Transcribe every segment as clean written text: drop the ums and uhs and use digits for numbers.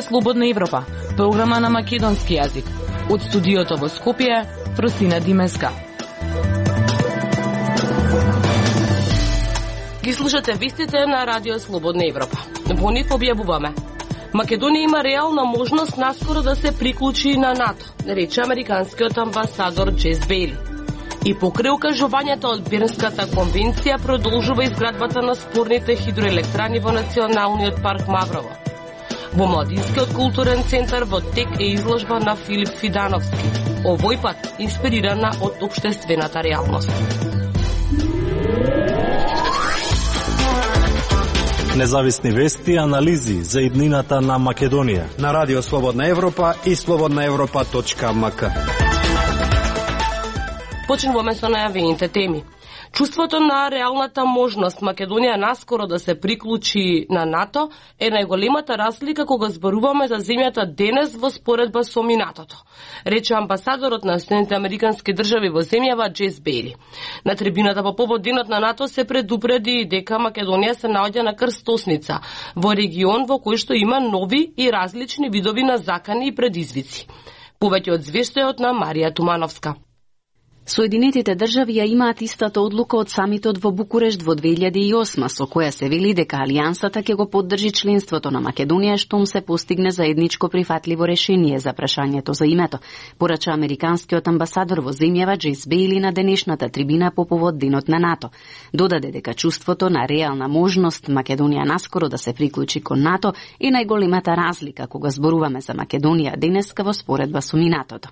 Радио Слободна Европа, програма на македонски јазик. Од студиото во Скопје, Фросина Димеска. Ги слушате вестите на Радио Слободна Европа. Во нив објавуваме: Македонија има реална можност наскоро да се приклучи на НАТО, рече американскиот амбасадор Джес Бейли. И покрај укажувањето од Бернската конвенција продолжува изградбата на спорните хидроелектрани во Националниот парк Маврово. Во Младинскиот културен центар во тек е изложба на Филип Фидановски, овој пат инспирирана од општествената реалност. Независни вести и анализи за иднината на Македонија на Радио Слободна Европа и slobodnaevropa.mk. Почнуваме со најавените теми. Чувството на реалната можност Македонија наскоро да се приклучи на НАТО е најголемата разлика кога зборуваме за земјата денес во споредба со минатото, рече амбасадорот на Соединетите американски држави во земјава Джес Бейли. На трибината по повод денот на НАТО се предупреди дека Македонија се наоѓа на крстосница во регион во кој што има нови и различни видови на закани и предизвици. Повеќе од звештајот на Марија Тумановска. Соединетите држави ја имаат истата одлука од самитот во Букурешт во 2008, со која се вели дека Алијансата ќе го поддржи членството на Македонија штом се постигне заедничко прифатливо решение за прашањето за името, порача американскиот амбасадор во земјава Джес Бейли на денешната трибина по повод денот на НАТО. Додаде дека чувството на реална можност Македонија наскоро да се приклучи кон НАТО е најголемата разлика кога зборуваме за Македонија денеска во споредба со минатото.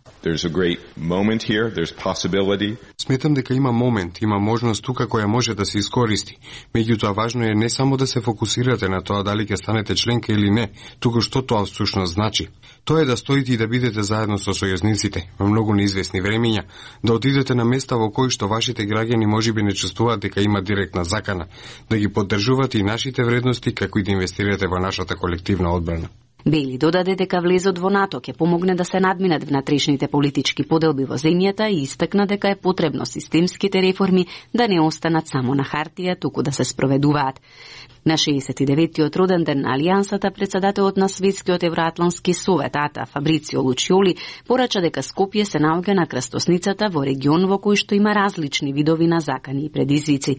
Сметам дека има момент, има можност тука која може да се искористи. Меѓутоа важно е не само да се фокусирате на тоа дали ќе станете членка или не, туку што тоа всушност значи. Тоа е да стоите и да бидете заедно со сојузниците во многу неизвестни времиња, да отидете на места во кои што вашите граѓани можеби не чувствуваат дека има директна закана, да ги поддржувате и нашите вредности како и да инвестирате во нашата колективна одбрана. Бейли додаде дека влезот во НАТО ќе помогне да се надминат внатрешните политички поделби во земјата и истакна дека е потребно системските реформи да не останат само на хартија, туку да се спроведуваат. На 69-тиот роден ден на Алијансата, председателот на Светскиот евроатлански совет АТА Фабрицио Лучиоли порача дека Скопје се наоѓа на крстосницата во регион во кој што има различни видови на закани и предизвици.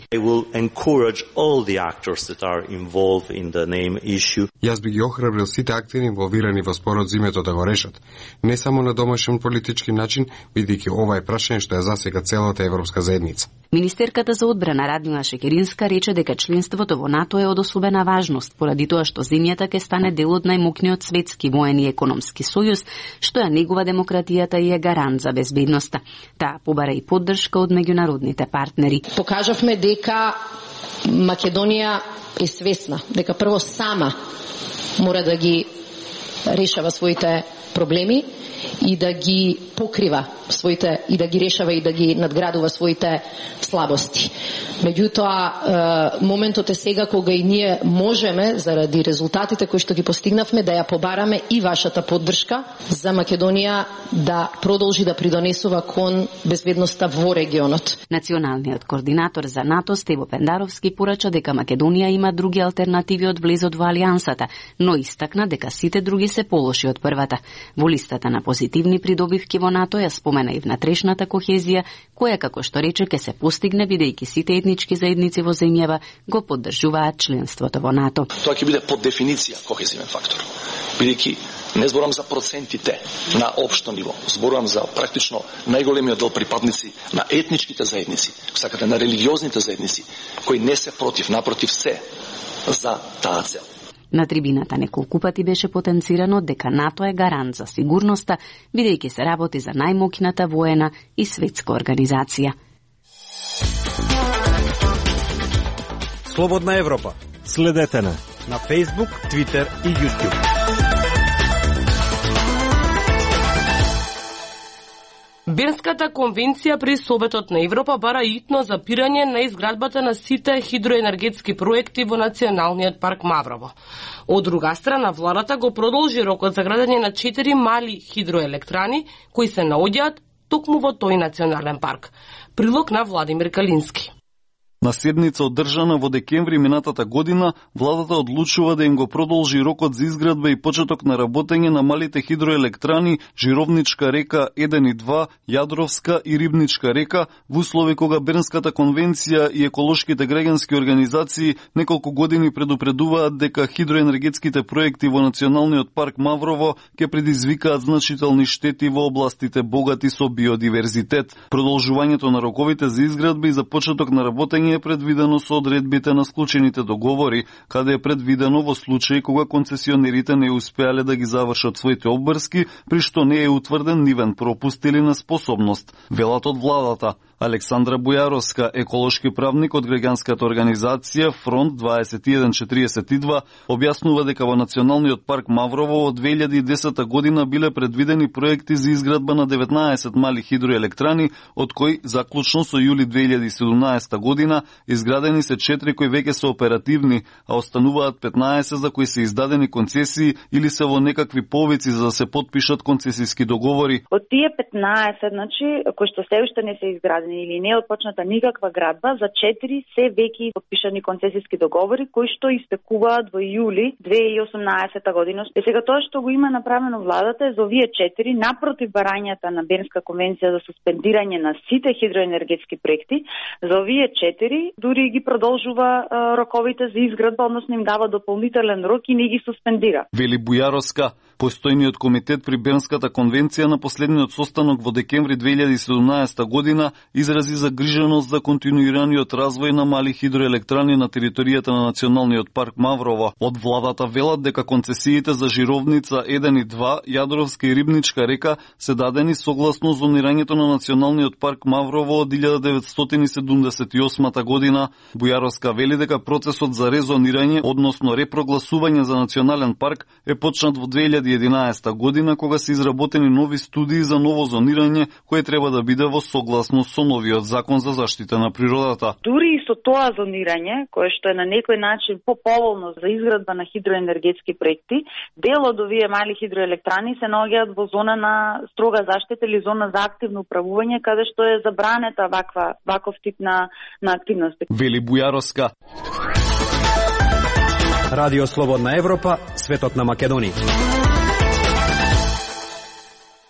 Јас би ги охрабрил сите актери инволвирани во спорот за името да го решат, не само на домашен политички начин, бидејќи ова е прашање што ја засега целата европска заедница. Министерката за одбрана Радмила Шекеринска рече дека членството во НАТО е од особена важност, поради тоа што земјата ќе стане дел од најмокниот светски воен и економски сојуз, што ја негува демократијата и е гарант за безбедноста. Таа побара и поддршка од меѓународните партнери. Покажавме дека Македонија е свесна, дека прво сама мора да ги решава своите проблеми и да ги покрива своите, и да ги решава и да ги надградува своите слабости. Меѓутоа, моментот е сега кога и ние можеме, заради резултатите кои што ги постигнавме, да ја побараме и вашата поддршка за Македонија да продолжи да придонесува кон безбедноста во регионот. Националниот координатор за НАТО Стево Пендаровски порача дека Македонија има други алтернативи од влезот во Алијансата, но истакна дека сите други се полоши од првата. Во листата на позитивни придобивки во НАТО ја спомена и внатрешната кохезија, која, како што рече, ќе се постигне бидејќи сите етнички заедници во земјава го поддржуваат членството во НАТО. Тоа ќе биде под дефиниција кохезивен фактор, бидејќи не зборам за процентите на општо ниво, зборам за практично најголемиот дел припадници на етничките заедници, сакате на религиозните заедници, кои не се против, напротив се за таа цел. На трибината неколку пати беше потенцирано дека НАТО е гарант за сигурноста, бидејќи се работи за најмокната воена и светска организација. Слободна Европа. Следете на Facebook, Twitter и YouTube. Бернската конвенција при Советот на Европа бара итно запирање на изградбата на сите хидроенергетски проекти во Националниот парк Маврово. Од друга страна, владата го продолжи рокот за градење на 4 мали хидроелектрани кои се наоѓаат токму во тој национален парк. Прилог на Владимир Калински. На седница одржана во декември минатата година, владата одлучува да им го продолжи рокот за изградба и почеток на работење на малите хидроелектрани Жировничка река 1 и 2, Јадровска и Рибничка река, во услови кога Бернската конвенција и еколошките граѓански организации неколку години предупредуваат дека хидроенергетските проекти во Националниот парк Маврово ќе предизвикаат значителни штети во областите богати со биодиверзитет. Продолжувањето на роковите за изградба и за почеток на работење е предвидено со одредбите на склучените договори, каде е предвидено во случај кога концесионерите не успеале да ги завршат своите обврски, при што не е утврден нивен пропуст или неспособност, велат од владата. Александра Бујаровска, еколошки правник од граѓанската организација Фронт 2142, објаснува дека во Националниот парк Маврово од 2010 година биле предвидени проекти за изградба на 19 мали хидроелектрани, од кои заклучно со јули 2017 година изградени се 4 кои веќе се оперативни, а остануваат 15 за кои се издадени концесии или се во некакви повици за да се потпишат концесиски договори. Од тие 15, значи, кои што се уште не се изградени или не е отпочната никаква градба, за 4 се веќе подпишани концесиски договори кои што истекуваат во јули 2018 година. И сега тоа што го има направено владата е за овие 4 напротив барањата на Бернска конвенција за суспендирање на сите хидроенергетски проекти, за овие 4 дури ги продолжува роковите за изградба, односно им дава дополнителен рок и не ги суспендира. Вели Бујаровска, постојниот комитет при Бернската конвенција на последниот состанок во декември 2017 година изрази загриженост за континуираниот развој на мали хидроелектрани на територијата на Националниот парк Маврово. Од владата велат дека концесиите за Жировница 1 и 2, Јадровска и Рибничка река се дадени согласно зонирањето на Националниот парк Маврово од 1978 година. Бујаровска вели дека процесот за резонирање, односно репрогласување за национален парк е почнат во 2011 година, кога се изработени нови студии за ново зонирање, кое треба да биде во согласност со новиот закон за заштита на природата. Дури и со тоа зонирање, кое што е на некој начин поповолно за изградба на хидроенергетски проекти, дел од овие мали хидроелектрани се наоѓаат во зона на строга заштита или зона за активно управување, каде што е забранета ваков тип на активности. Вели Бујаровска. Радио Слободна Европа, светот на Македонија.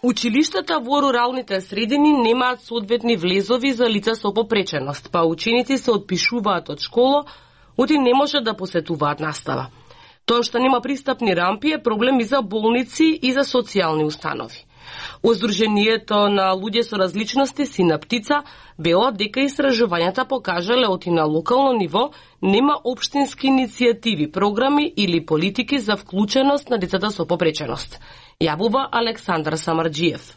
Училиштата во руралните средини немаат соодветни влезови за лица со попреченост, па ученици се отпишуваат од школа, оти не може да посетуваат настава. Тоа што нема пристапни рампи е проблем и за болници и за социјални установи.Оздруженијето на луѓе со различности Синаптица велат дека истражувањата покажале оти на локално ниво нема општински иницијативи, програми или политики за вклученост на децата со попреченост. Јавува Александар Самарџиев.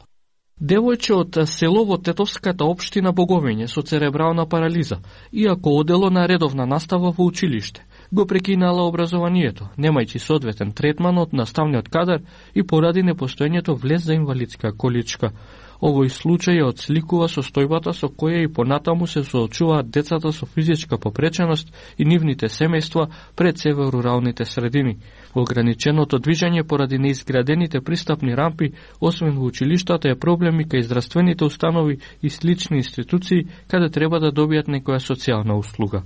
Девојче од село во Тетовската општина Боговење со церебрална парализа, иако одело на редовна настава во училиште, го прекинала образованието, немајќи соодветен третман од наставниот кадар и поради непостоењето влез за инвалидска количка. Овој случај ја отсликува состојбата со која и понатаму се соочуваат децата со физичка попреченост и нивните семејства пред се во руралните средини. Ограниченото движење поради неизградените пристапни рампи, освен во училиштата, е проблем и кај здравствените установи и слични институции каде треба да добијат некоја социјална услуга.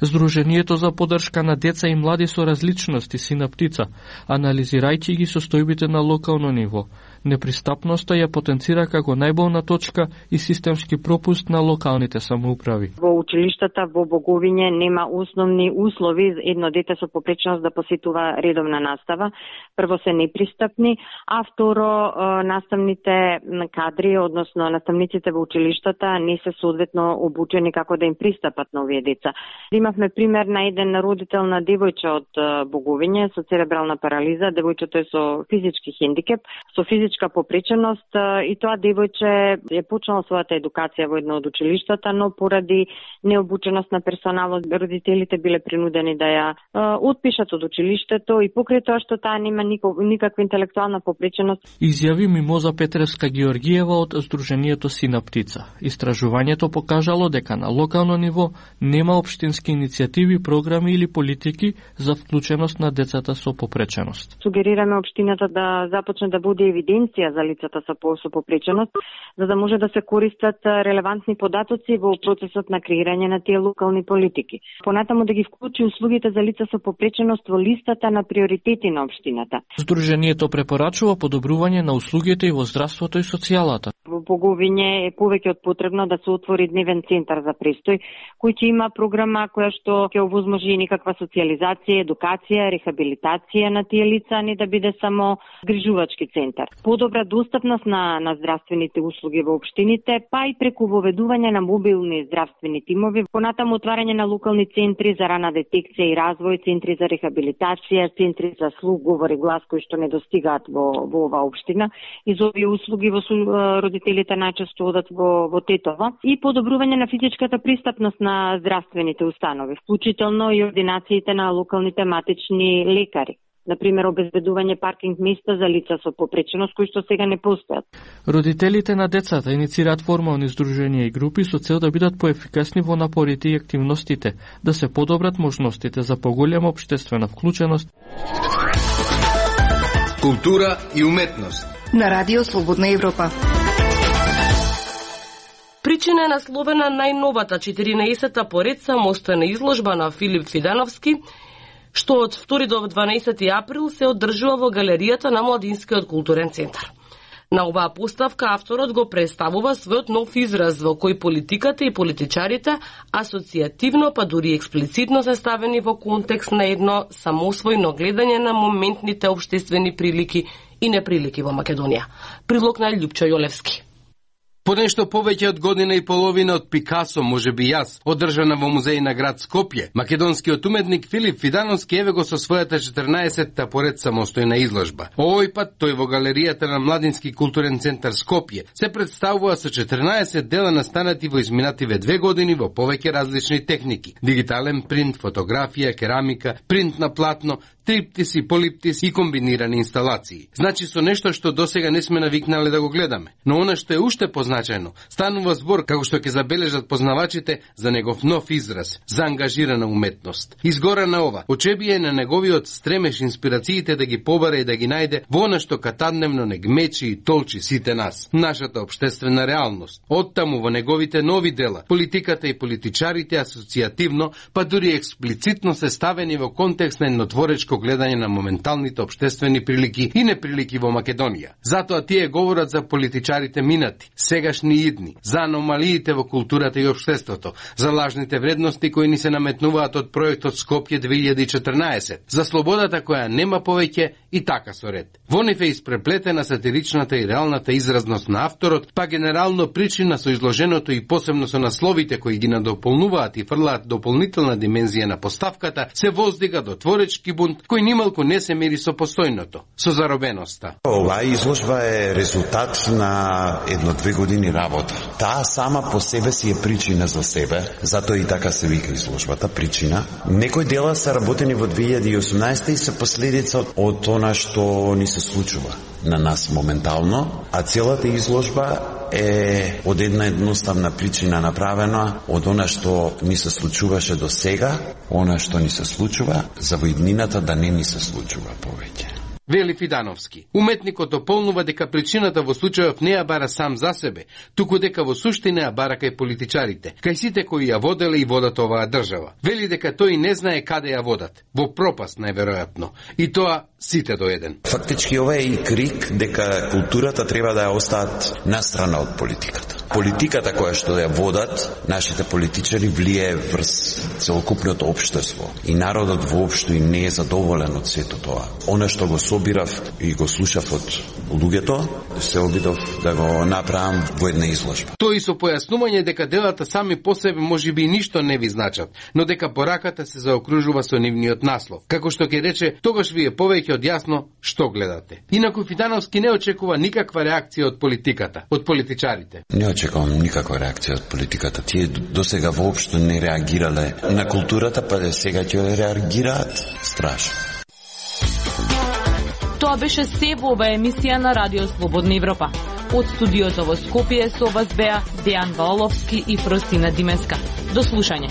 Сдруженијето за поддршка на деца и млади со различности Синаптица, анализирајќи ги состојбите на локално ниво, непристапноста ја потенцира како најболна точка и системски пропуст на локалните самоуправи. Во училиштата во Боговиње нема основни услови за едно дете со попреченост да посетува редовна настава. Прво се непристапни, а второ наставните кадри, односно наставниците во училиштата не се соодветно обучени како да им пристапат на овие деца. Имавме пример на еден родител на девојче од Боговиње со церебрална парализа. Девојчето е со физички хендикеп, со физичка попреченост и тоа девојче е почнало својата едукација во едно од училиштата, но поради необученост на персоналот, родителите биле принудени да ја отпишат од училиштето и покрај тоа што таа нема никаква интелектуална попреченост. Изјави Мимоза Петревска Георгиева од Сдруженијето Синаптица. Истражувањето покажало дека на локално ниво нема општински иницијативи, програми или политики за вклученост на децата со попреченост. Сугерираме општината да започне да буде евиденција за лицата со попреченост, за да може да се користат релевантни податоци во процесот на креирање на тие локални политики. Понатаму да ги вклучи услугите за лица со попреченост во листата на приоритети на општината. Здруженијето препорачува подобрување на услугите и во здравството и социјалата. Во Боговиње е повеќе од потребно да се отвори дневен центар за престој, кој ќе има програма која што ќе овозможи никаква социјализација, едукација, рехабилитација на тие лица, не да биде само грижувачки центар. Подобра достапност на здравствените услуги во општините, па и преку воведување на мобилни здравствени тимови, понатаму отварање на локални центри за рана детекција и развој, центри за рехабилитација, центри за слух, говор и глас кои што не достигаат во оваа општина. И за овие услуги родителите најчесто одат во Тетово, и подобрување на физичката пристапност на здравствените установи, вклучително и ординациите на локалните матични лекари. Например, обезбедување паркинг места за лица со попреченост кои што сега не постојат. Родителите на децата иницираат формални здруженија и групи со цел да бидат поефикасни во напорите и активностите, да се подобрат можностите за поголема општествена вклученост. Култура и уметност на Радио Слободна Европа. Причина е насловена најновата 14-та поред самостојна изложба на Филип Фидановски, што од 2 до 12 април се одржува во галеријата на Младинскиот културен центар. На оваа поставка авторот го представува својот нов израз во кој политиката и политичарите асоцијативно, па дури експлицитно се ставени во контекст на едно самосвојно гледање на моментните општествени прилики и неприлики во Македонија. Прилог на Љупчо Јолевски. По нешто повеќе од година и половина од Пикасо, може би јас, одржана во музеј на град Скопје, македонскиот уметник Филип Фидановски еве го со својата 14-та поред самостојна изложба. Овој пат тој во галеријата на Младински културен центар Скопје се представува со 14 дела настанати во изминативе 2 години во повеќе различни техники: дигитален принт, фотографија, керамика, принт на платно, триптиси, полиптиси и комбинирани инсталации. Значи со нешто што досега не сме навикнале да го гледаме. Но она што е уште позначаено, станува збор, како што ќе забележат познавачите, за негов нов израз, за ангажирана уметност. Изгора на ова, очебија на неговиот стремеш инспирациите да ги побара и да ги најде во она што катадневно не гмечи и толчи сите нас, нашата општествена реалност. Оттаму во неговите нови дела, политиката и политичарите асоцијативно, па дури експлицитно се ставени во контекст на еднотворечко гледање на моменталните општествени прилики и неприлики во Македонија. Затоа тие говорат за политичарите минати, сегашни и идни, за аномалиите во културата и општеството, за лажните вредности кои ни се наметнуваат од проектот Скопје 2014, за слободата која нема повеќе и така со ред. Во нив е испреплетена сатиричната и реалната изразност на авторот, па генерално причина со изложеното и посебно со насловите кои ги надополнуваат и фрлаат дополнителна димензија на поставката, се воздига до творечки бунт кој нималку не се мери со постојното, со заробеноста. Оваа изложба е резултат на 1-2 години работа. Таа сама по себе си е причина за себе, затоа и така се вика изложбата, причина. Некои дела се работени во 2018 и се последица од она што ни се случува на нас моментално, а целата изложба е од една едноставна причина направена од она што ни се случуваше до сега, она што ни се случува, за во иднината да не ни се случува повеќе. Вели Фидановски. Уметникот дополнува дека причината во случајов не ја бара сам за себе, туку дека во суштина ја бара кај политичарите, кај сите кои ја воделе и водат оваа држава. Вели дека тој не знае каде ја водат, во пропаст најверојатно, и тоа сите до еден. Фактички ова е и крик дека културата треба да ја остават настрана од политиката. Политиката која што ја водат нашите политичари влие врз целокупното општество и народот воопшто и не е задоволен од сето тоа. Она што го собирав и го слушав од луѓето, се обидов да го направам во една изложба. Тој со појаснување дека делата сами по себе можеби ништо не ви значат, но дека пораката се заокружува со нивниот наслов. Како што ќе рече, тогаш ви е повеќе од јасно што гледате. Инаку Фидановски не очекува никаква реакција од политиката, од политичарите. Не очекувам никаква реакција од политиката. Тие досега воопшто не реагирале на културата, па сега ќе реагираат страшно. Тоа беше се во оваа емисија на Радио Слободна Европа. Од студиото во Скопје со вас беа Дејан Ваоловски и Фросина Димеска. До слушање.